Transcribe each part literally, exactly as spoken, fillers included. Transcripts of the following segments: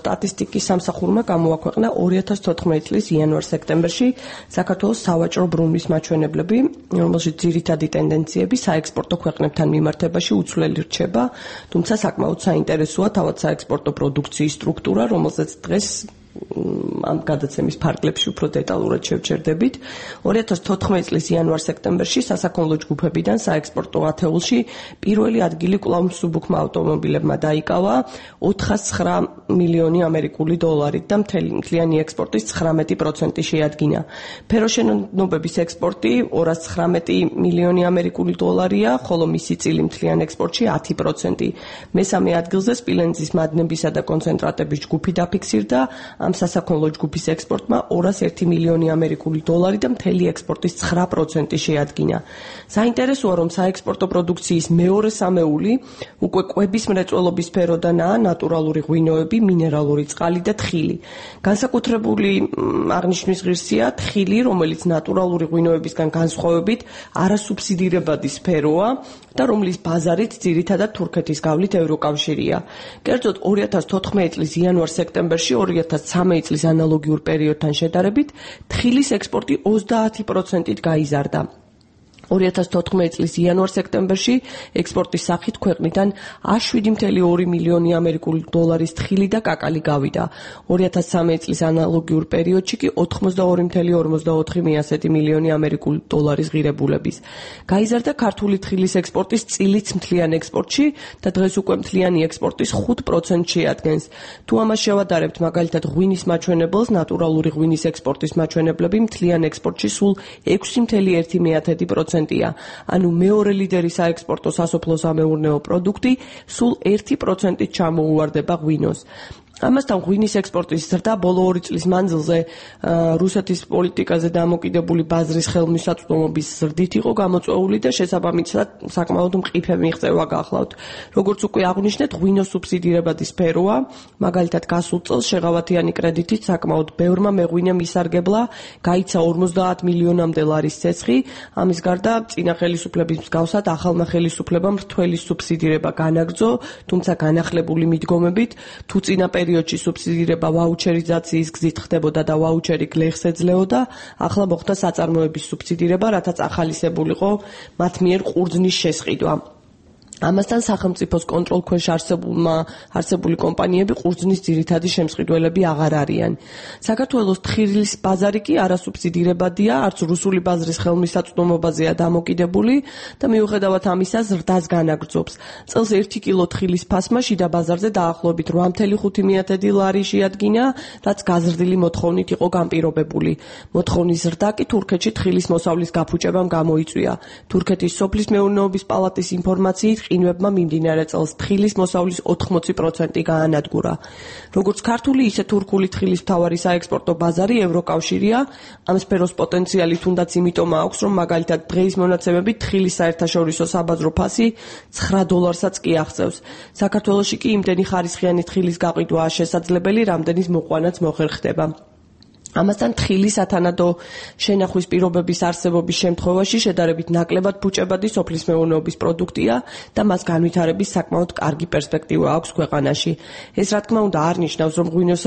სტატისტიკის სამსახურმა გამოაქვეყნა ორი ათას თოთხმეტი წლის იანვარ-სექტემბერში საქართველოს სავაჭრო ბრუნვის მაჩვენებლები, რომელშიც ძირითადი ტენდენციები საექსპორტო ქვეყნებთან მიმართებაში უცვლელი რჩება, თუმცა საკმაოდ საინტერესოა თავად საექსპორტო პროდუქციის სტრუქტურა, რომელზეც დღეს ამ გადაცემის ფარგლებში უფრო დეტალურად შევჩერდებით. ორი ათას თოთხმეტი წლის იანვარ-სექტემბერში სასაქონლო ჯგუფებიდან საექსპორტო ათეულში პირველი ადგილი კვლავ მსუბუქმა ავტომობილებმა დაიკავა ოთხას ცხრა მილიონი ამერიკული დოლარით და მთლიანი ექსპორტის ცხრამეტი პროცენტი შეადგინა. ფეროშენობების ექსპორტი ორას ცხრამეტი მილიონი ამერიკული დოლარია, ხოლო მისი წილი მთლიან ექსპორტში ათი პროცენტი. მესამე ადგილზე სპილენძის მადნებისა და კონცენტრატების ჯგუფი დაფიქსირდა. ამ სასაქონლო ჯგუფის ექსპორტმა ორას ერთი მილიონი ამერიკული დოლარი და მთელი ექსპორტის ცხრა პროცენტი შეადგინა. საინტერესოა, რომ საექსპორტო პროდუქციის მეორე სამეული უკვე კვების მრეწველობის სფეროდანაა ნატურალური ღვინოები, მინერალური წყალი და თხილი. განსაკუთრებული აღნიშვნის ღირსია თხილი, რომელიც ნატურალური ღვინოებისგან განსხვავებით არასუბსიდირებადი სფეროა და რომლის ბაზარით ძირითადად თურქეთის გავლით ევროკავშირია. კერძოდ ორი ათას თოთხმეტი წლის იანვარ-სექტემბერში ორი ათას ცამეტი წლის ანალოგიურ პერიოდთან შედარებით თხილის ექსპორტი ოცდაათი პროცენტით გაიზარდა. ორი ათას თოთხმეტი წლის იანვარ-სექტემბერში ექსპორტის სახით ქვეყნიდან შვიდი კoma ორი მილიონი ამერიკული დოლარის თხილი და კაკალი გავიდა. ორი ათას ცამეტი წლის ანალოგიურ პერიოდში კი ოცდაორი კoma ორმოცდაოთხი მილიონი ამერიკული დოლარის ღირებულების. გაიზარდა ქართული თხილის ექსპორტის წილიც მთლიან ექსპორტში და დღეს უკვე მთლიანი ექსპორტის ხუთ პროცენტს შეადგენს. თუ ამას შევადარებთ მაგალითად ღვინის მაჩვენებელს, ნატურალური ღვინის ექსპორტის მაჩვენებლები მთლიან ექსპორტში სულ ექვსი კoma ერთი პროცენტია. ანუ მეორე ლიდერი საექსპორტო სასოფლო-სამეურნეო პროდუქტი სულ ერთი პროცენტით ჩამოუვარდება ღვინოს. ამასთან ღვინის ექსპორტის ზრდა ბოლო ორი წლის მანძილზე რუსეთის პოლიტიკაზე დამოკიდებული ბაზრის ხელმისაწვდომობის ზრდით იყო გამოწვეული და შესაბამისად საკმაოდ მყიფე მიღწევა გახლავთ. როგორც უკვე აღვნიშნეთ, ღვინოს სუბსიდირებადი სფეროა, მაგალითად გასულ წელს შეღავათიანი კრედიტით საკმაოდ ბევრმა მეღვინემ ისარგებლა, გაიცა ორმოცდაათ მილიონამდე ლარის ცეცხლი. ამის გარდა წინა ხელისუფლების მსგავსად ახალმა ხელისუფლებამ მრთველი სუბსიდირება განაგრძო, თუმცა განახლებული მიდგომებით, თუ წინა პერიოდში სუბსიდირება ვაუჩერიზაციის გზით ხდებოდა და ვაუჩერი გლეხს ეძლეოდა, ახლა მოხდა საწარმოების სუბსიდირება, რათაც ახალისებულიყო მათ მიერ ყურძნის შესყიდვა. ამასთან სახელმწიფოს კონტროლქვეშ არსებული კომპანიები ყურძნის ძირითადი შემსყიდველები აღარ არიან. საქართველოს თხილის ბაზარი კი არასუბსიდირებადია, არც რუსული ბაზრის ხელმისაწვდომობაზეა დამოკიდებული და მიუხედავად ამისა ზრდას განაგრძობს. წელს ერთი კილო თხილის ფასმა შიდა ბაზარზე დაახლოებით რვა კoma ხუთი ლარი შეადგინა, რაც გაზრდილი მოთხოვნით იყო განპირობებული. მოთხოვნის ზრდა კი თურქეთში თხილის მოსავლის გაფუჭებამ გამოიწვია. თურქეთის სოფლის მეურნეობის პალატის ინფორმაციით ყინვებმა მიმდინარე წელს თხილის მოსავლის ოთხმოცი პროცენტი გაანადგურა. როგორც ქართული, ისე თურქული თხილის მთავარი საექსპორტო ბაზარი ევროკავშირია. ამ სფეროს პოტენციალი თუნდაც იმიტომ აქვს, რომ მაგალითად დღეის მონაცემებით თხილის საერთაშორისო საბაზრო ფასი ცხრა დოლარსაც კი აღწევს. საქართველოში კი იმდენი ხარისხიანი თხილის გაყიდვაა შესაძლებელი, რამდენის მოყვანაც მოხერხდება. ამასთან თხილი სათანადო შენახვის პირობების არსებობის შემთხვევაში შედარებით ნაკლებად ფუჭებადი სოფლის მეურნეობის პროდუქტია და მას განვითარების საკმაოდ კარგი პერსპექტივა აქვს ქვეყანაში. ეს რა თქმა უნდა არ ნიშნავს, რომ ღვინოს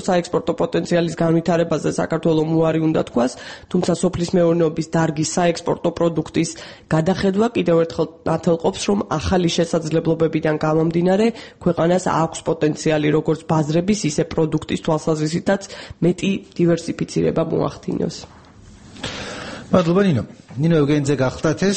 საექსპორტო პოტენციალის განვითარებაზე საქართველომ უარი უნდა თქვას, თუმცა სოფლის მეურნეობის დარგის საექსპორტო პროდუქტის გადახედვა კიდევ ერთხელ ათელყოფს, რომ ახალი შესაძლებლობებიდან გამომდინარე ქვეყანას აქვს პოტენციალი როგორც ბაზრების, ისე პროდუქტის თვალსაზრისითაც მეტი დივერსიფიცირება მოახდინოს. მადლობა ნინო. ნინო ევგენიძე გახლდათ ეს